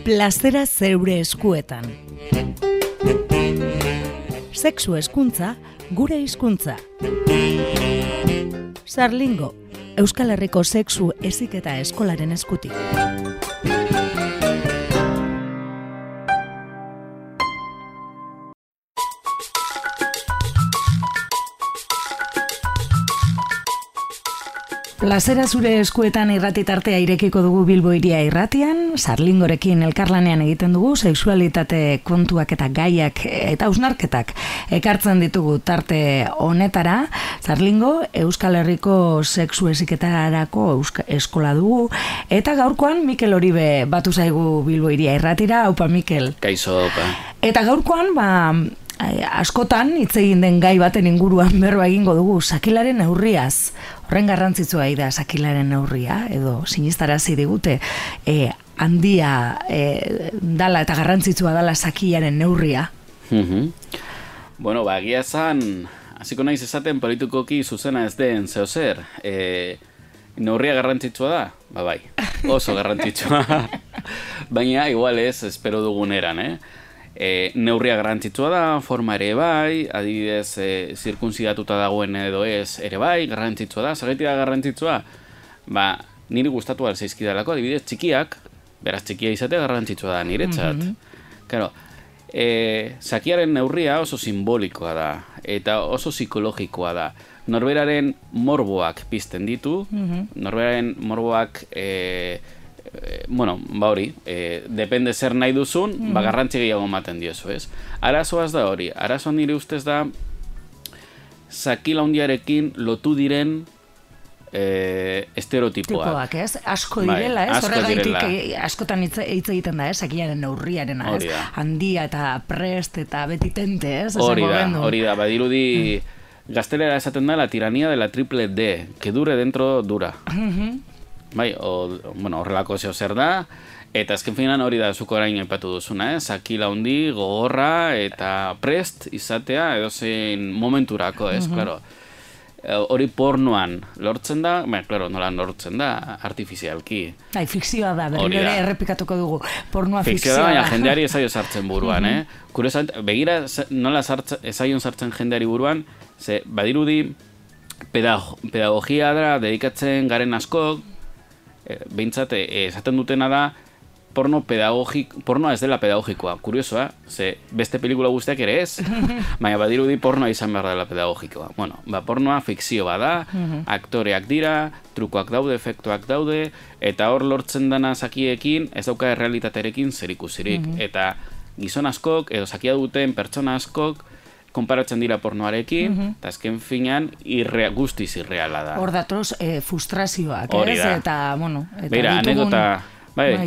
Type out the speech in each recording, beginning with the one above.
Plazera zeure eskuetan. Sexu hezkuntza, gure hizkuntza. Sarlingo, Euskal Herriko sexu heziketa eskolaren eskutik. Plazera zure eskuetan irrati tartea irekiko dugu Bilbo Hiria irratian, Sarlingorekin elkarlanean egiten dugu, sexualitate kontuak eta gaiak eta hausnarketak ekartzen ditugu tarte honetara. Sarlingo, Euskal Herriko sexu heziketarako eskola dugu, eta gaurkoan Mikel Oribe batu zaigu Bilbo Hiria irratira. Aupa Mikel. Kaixo, aupa. Eta gaurkoan, askotan hitz egin den gai baten inguruan berba egingo dugu, sakilaren neurriaz. Horren garrantzitsua da sakilaren neurria, edo sinistarazi digute handia dala eta garrantzitsua dala sakilaren neurria. Bueno, egia esan, hasiko naiz esaten politikoki zuzena ez den zeozer. Neurria garrantzitsua da? Bai, oso garrantzitsua. Baina, igual ez, espero dugun eran, neurria garrantzitsua da, forma ere bai, adibidez zirkunzidatuta dagoen edo ez ere bai, garrantzitsua da. Zergatik da garrantzitsua? Niri gustatu alzaizkidalako, adibidez txikiak, beraz txikia izatea garrantzitsua da niretzat. Claro, sakiaren neurria oso simbolikoa da, eta oso psikologikoa da. Norberaren morboak pizten ditu, norberaren morboak depende zer nahi duzun, garrantzi gehiago ematen diozu, ez? Arazoaz da hori, arazoan nire ustez da sakila handiarekin lotu diren estereotipoak. Tipoak, ez? Asko direla, ez? Horregaitik askotan hitz egiten da, ez? Sakilaren neurriaren, ez? Handia eta prest eta betitente, ez? Hori da, badirudi gaztelera esaten da la tiranía de la triple D, que dure dentro dura. Bai, horrelako zeo zer da, eta azken finan hori da zuko orain aipatu duzuna, sakila handi, gogorra eta prest izatea edozein momenturako, ez, klaro. Hori pornoan lortzen da, nola lortzen da, artifizialki. Fikzioa da, berriro ere errepikatuko dugu, pornoa fikzioa da. Baina jendeari ezaio sartzen buruan, begira nola ezaion sartzen jendeari buruan, ze badirudi pedagogia da dedikatzen garen askok, behintzat, esaten dutena da, pornoa ez dela pedagogikoa. Kuriosoa, ze beste pelikula guztiak ere ez, baina badirudi pornoa izan behar dela pedagogikoa. Pornoa fikzio bada, aktoreak dira, trukoak daude, efektuak daude, eta hor lortzen dana sakiekin, ez dauka errealitatearekin zerikusirik. Eta gizon askok, edo sakia duten pertsona askok, konparatzen dira pornoarekin, eta azken finean guztiz irreala da. Hor datoz frustrazioak, ez? Eta, beira,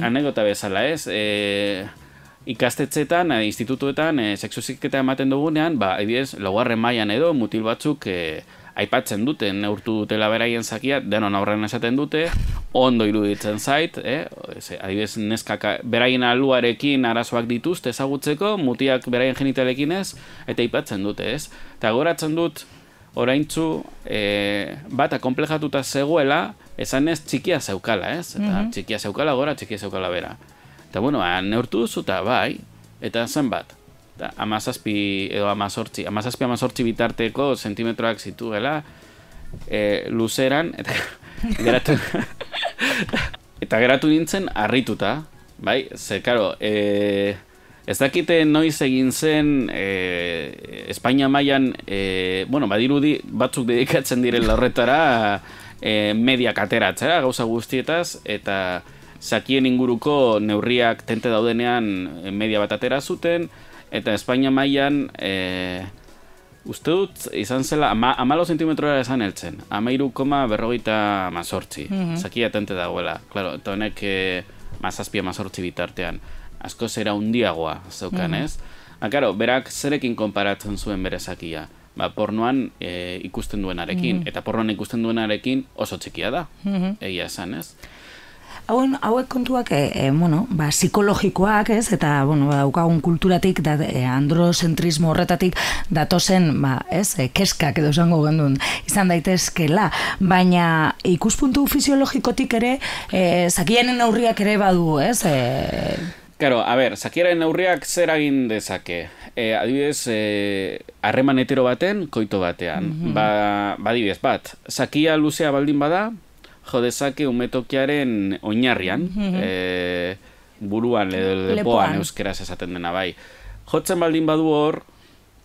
anekdota bezala, ez? Ikastetxetan, institutuetan, sexu heziketa ematen dugunean, adibidez, laugarren mailan edo mutil batzuk aipatzen dute, neurtu dutela beraien zakia, denon aurrean esaten dute, ondo iruditzen zait, adibidez, neskak beraien aluarekin arazoak dituzte ezagutzeko, mutiak beraien genitalekin ez, eta aipatzen dute, ez? Eta goratzen dut, oraintzu, bat akomplejatuta zegoela, esan ez txikia zeukala, ez? Eta txikia zeukala gora, txikia zeukala bera. Eta, neurtu duzu eta bai, eta zenbat. 17 edo 18 bitarteko sentimetroak zituela luzeran, eta geratu nintzen harrituta, bai? Ze, karo, ez dakite noiz egin zen Espainia mailan, badirudi batzuk dedikatzen direla horretara mediak ateratzera, gauza guztietaz, eta sakien inguruko neurriak tente daudenean media bat atera zuten, eta Espainia mailan, uste dut, izan zela, 14 zentimetroa esan heltzen, 13,48, sakia tente dagoela, klaro, eta honek 17-18 bitartean, asko zera hundiagoa zeukan, ez? Klaro, berak zerekin konparatzen zuen bere sakia, pornoan ikusten duenarekin, eta pornoan ikusten duenarekin oso txikia da, egia esan, ez? Hauek kontuak, psikologikoak, ez? Eta, daukagun kulturatik, androzentrismo horretatik datozen, keskak edo esango gendun izan daitezkela, baina ikuspuntu fisiologikotik ere, zakianen aurriak ere badu, ez? Karo, a ber, zakiaren neurriak zer egin dezake? Adibidez, harreman hetero baten, koito batean. Adibidez, bat, zakia luzea baldin bada, jo dezake umetokiaren oinarrian, buruan, lepoan euskeraz esaten dena bai. Jotzen baldin badu hor,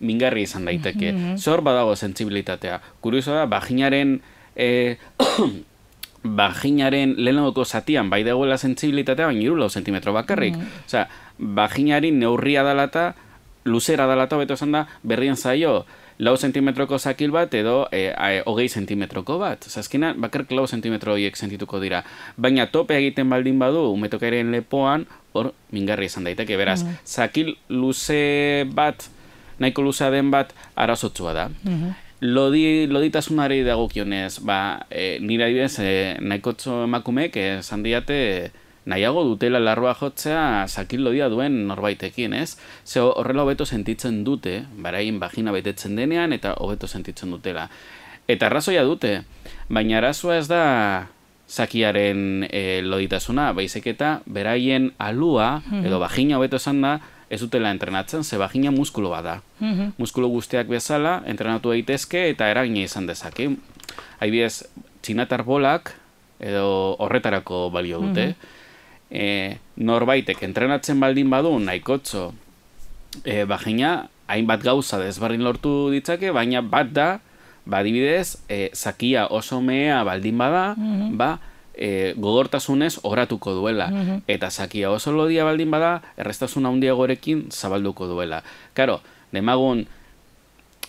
mingarri izan daiteke. Zor badago sentsibilitatea. Kurioso da, vaginaren lehenagoko zatian bai dagoela sentsibilitatea, baina 4 zentimetro bakarrik. Osea, vaginari neurria dalata, luzera dalata, beto esan da, berrien zaio, 4 zentimetroko zakil bat edo 20 zentimetroko bat. Osea, azkenean, bakarrik 4 zentimetro horiek sentituko dira. Baina tope egiten baldin badu, umetokaren lepoan, hor, mingarri izan daiteke. Beraz, zakil luze bat, nahiko luzea den bat, arazotsua da. Loditasunari dagokionez, nire adibidez, nahikotxo emakumeek esan diate nahiago dutela larroa jotzea zakil lodia duen norbaitekin, ez? Ze horrela hobeto sentitzen dute, barain vagina betetzen denean, eta hobeto sentitzen dutela. Eta arrazoia dute, baina arazoa ez da zakiaren loditasuna, baizik eta beraien alua, edo vagina hobeto esan da, ez dutela entrenatzen, ze vagina muskulu bada. Muskulu guztiak bezala, entrenatu daitezke eta eragina izan dezake. Adibidez, txinatar bolak, edo horretarako balio dute. Norbaitek entrenatzen baldin badu, nahikotxo, vagina, hainbat gauza desberdin lortu ditzake, baina bat da, adibidez, zakia oso mehea baldin bada, gogortasunez oratuko duela. Eta zakia oso lodia baldin bada, errestasun handiagorekin zabalduko duela. Karo, demagun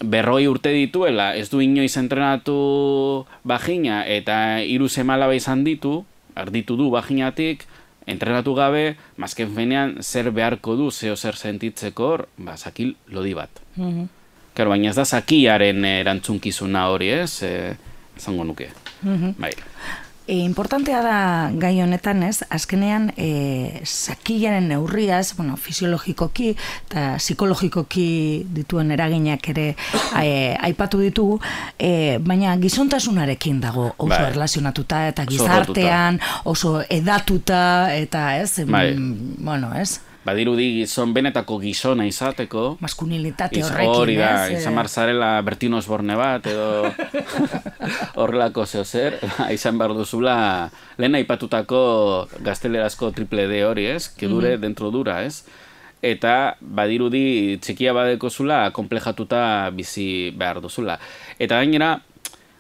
40 urte dituela, ez du inoiz entrenatu vagina, eta 3 seme-alaba izan ditu, arditu du vaginatik, entrenatu gabe, mazken fenean zer beharko du, zeo zer sentitzeko hor, zakil lodi bat. Karo, baina ez da zakiaren erantzunkizuna hori, ez? Zango nuke. Bai. Importantea da gai honetan, ez? Azkenean, zakilaren neurriaz, fisiologikoki eta psikologikoki dituen eraginak ere aipatu ditugu, baina gizontasunarekin dago oso erlazionatuta eta gizartean oso edatuta eta ez? Bueno, ez? Badirudi gizon benetako gizona izateko. Maskulinitate horrekin, hori da, izan marzarela Bertino Osborne bat, edo horrelako zer, izan behar duzula lehen aipatutako gaztelerazko triple D hori, ez? Que dure dentro dura, ez? Eta badirudi txikia badeko zula, komplejatuta bizi behar duzula. Eta gainera,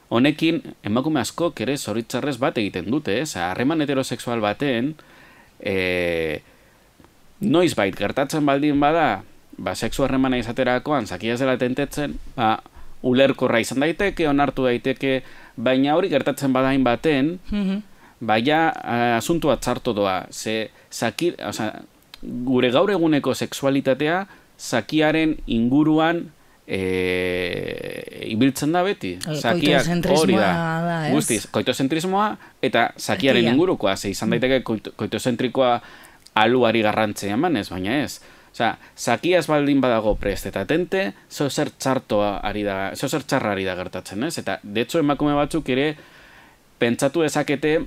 honekin, emakume askok ere zoritzarrez bat egiten dute, ez? Harreman heterosexual baten, noizbait gertatzen baldin bada, sexu harremana izaterakoan, zakia ez dela tentetzen, ulerkorra izan daiteke, onartu daiteke, baina hori gertatzen badain baten, baina asuntua txarto doa, gure gaur eguneko sexualitatea, zakiaren inguruan ibiltzen da beti. Koitozentrismoa da, ez? Guztiz, koitozentrismoa eta zakiaren ingurukoa, izan daiteke koitozentrikoa aluari garrantzea emanez, baina ez. Zakia ez baldin badago prest eta atente, zer txarra ari da gertatzen, ez? Eta, de hecho, emakume batzuk ere pentsatu dezakete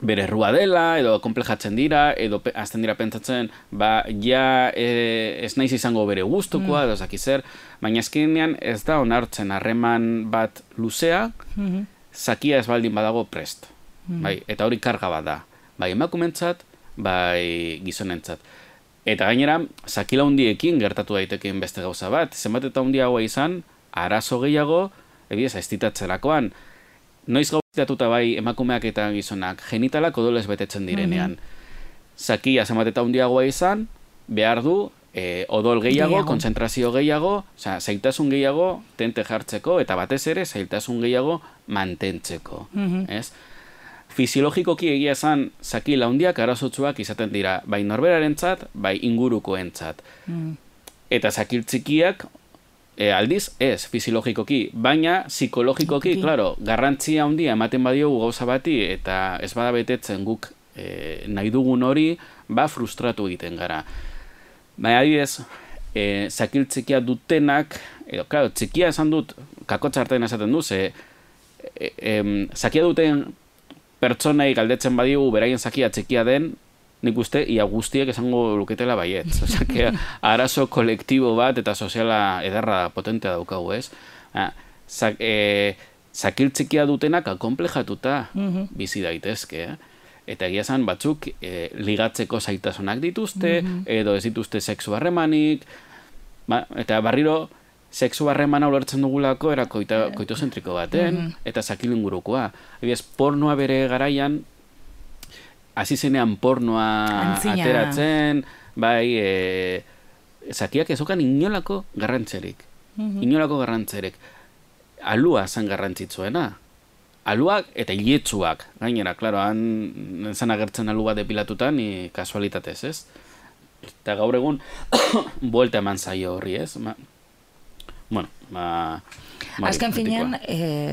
bere errua dela, edo komplejatzen dira, edo azten dira pentsatzen, ez naiz izango bere gustukoa, edo zaki zer, baina azkenean ez da onartzen harreman bat luzea, zakia ez baldin badago prest. Eta hori karga bat da. Bai emakumentzat, bai gizonentzat. Eta gainera, zakila hundiekin gertatu daitekeen beste gauza bat. Zenbat eta hundiagoa izan, arazo gehiago, ebiez, aiztitatzerakoan. Noiz gauzitatuta bai emakumeak eta gizonak, genitalak odolez betetzen direnean. Zakia zenbat eta hundiagoa izan, behar du, odol gehiago, kontzentrazio gehiago, zailtasun gehiago tente jartzeko, eta batez ere, zailtasun gehiago mantentzeko. Ez? Fisiologikoki egia esan zakila handiak arazotsuak izaten dira, bai norberarentzat, bai ingurukoentzat. Eta zakil txikiak aldiz ez fisiologikoki, baina psikologikoki, claro, garrantzia handia ematen badiogu gauza bati eta ez bada betetzen guk nahi dugun hori, frustratu egiten gara. Baina adibidez, zakil txikia dutenak, edo, claro, txikia esan dut, kakotxartean esaten du, zakia duten pertsonei galdetzen badigu beraien zakia txikia den, nik uste, ia guztiek esango luketela baietz. Osea, que arazo kolektibo bat eta soziala edarra potentea daukagu, ez? Zakiltzikia dutenak akonplejatuta bizi daitezke, Eta egia esan batzuk ligatzeko zaitasunak dituzte, edo ez dituzte sexu harremanik, eta barriro sexu harremana ulertzen dugulako era koitozentriko baten, eta zakil ingurukoa. Ebiaz, pornoa bere garaian, hasi zenean pornoa ateratzen, bai, zakiak ezokan inolako garrantzerik. Inolako garrantzerik. Alua zen garrantzitzuena. Aluak eta iletsuak, gainera, klaro, han zan agertzen alu bat depilatutan, kasualitatez, ez? Eta gaur egun, buelta eman zaio horri, ez? Azken finean,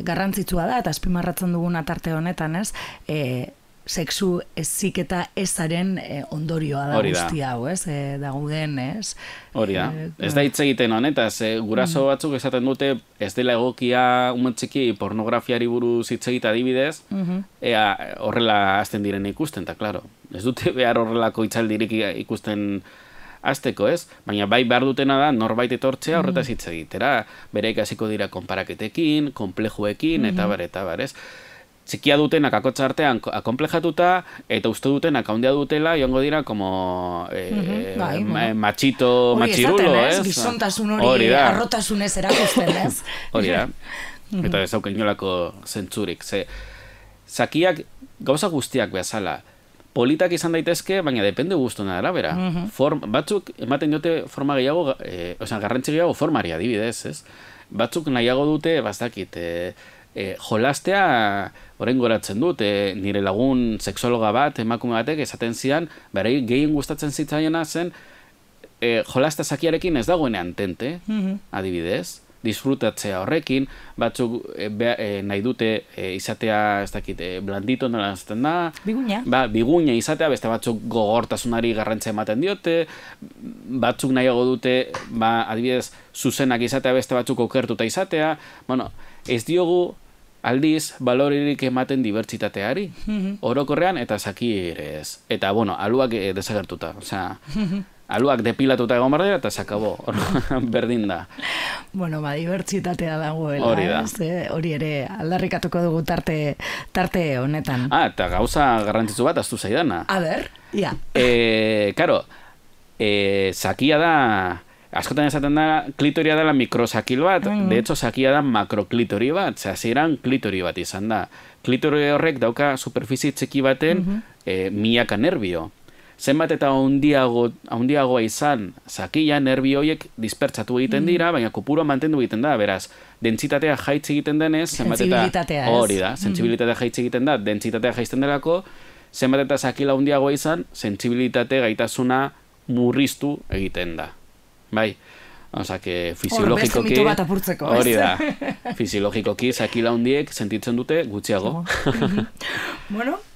garrantzitsua da, eta azpimarratzen dugun atarte honetan, ez? Sexu eziketa ezaren ondorioa da guzti hau, ez? Daguden, ez? Hori da. Ez da hitz egiten honetaz, guraso batzuk esaten dute ez dela egokia umetxiki pornografiari buruz hitz egita adibidez, horrela hasten diren ikusten, eta klaro, ez dute behar horrelako hitzaldirik ikusten hasteko, ez? Baina bai behar dutena da norbait etortzea horretaz hitz egitera, bere ikasiko dira konparaketekin, konplejuekin, eta bar, ez? Txikia dutenak akotza artean akonplejatuta, eta uste dutenak haundia dutela, joango dira como machito, machirulo, ez? Gizontasun hori arrotasunez erakusten, ez? Hori da. Eta ez hauken inolako zentzurik. Zakiak gauza guztiak bezala. Politak izan daitezke, baina depende guztuna arabera. Batzuk ematen dute forma gehiago, garrantzi gehiago formari adibidez, ez? Batzuk nahiago dute, bastakit, jolastea orain goratzen dut, nire lagun sexologa bat, emakume batek esaten zidan, berei gehien gustatzen zitzaiena zen jolasta zakiarekin ez dagoenean tente, adibidez, disfrutatzea horrekin, batzuk nahi dute izatea, ez dakit, blandito nola zaten da, biguña izatea, beste batzuk gogortasunari garrantzia ematen diote, batzuk nahiago dute, adibidez, zuzenak izatea, beste batzuk okertuta izatea, ez diogu aldiz baloririk ematen dibertsitateari, orokorrean eta zakirez. Eta, aluak desagertuta, aluak depilatuta egon behar dira eta sakabo, berdin da. Dibertsitatea dagoela, hori ere aldarrikatuko dugu tarte honetan. Eta gauza garrantzitsu bat aztu zaidana. A ber, ia. Karo, zakia da, askotan esaten da, klitoria dela mikrosakil bat, de hecho, zakia da makroklitori bat, hasieran klitori bat izan da. Klitori horrek dauka superfizi txiki baten milaka nerbio. Zenbat eta handiagoa izan zakia, nerbio horiek dispertsatu egiten dira, baina kopurua mantendu egiten da, beraz, dentsitatea jaitz egiten denez, hori da, sentsibilitatea jaitz egiten da, dentsitatea jaizten delako, zenbat eta zakila handiagoa izan, sentsibilitate gaitasuna murriztu egiten da. Bai, fisiologikoki... Hori da, fisiologikoki zakila handiek sentitzen dute gutxiago.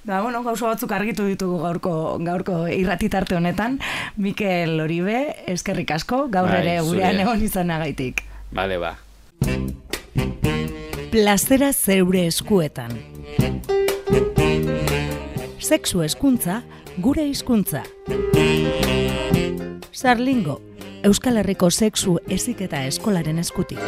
Gauza batzuk argitu ditugu gaurko irratitarte honetan. Mikel Oribe, eskerrik asko, gaur ere gurean egon izanagaitik. Bale, ba. Plazera zeure eskuetan. Sexu hezkuntza, gure hizkuntza. Sarlingo, Euskal Herriko sexu heziketa eskolaren eskutik.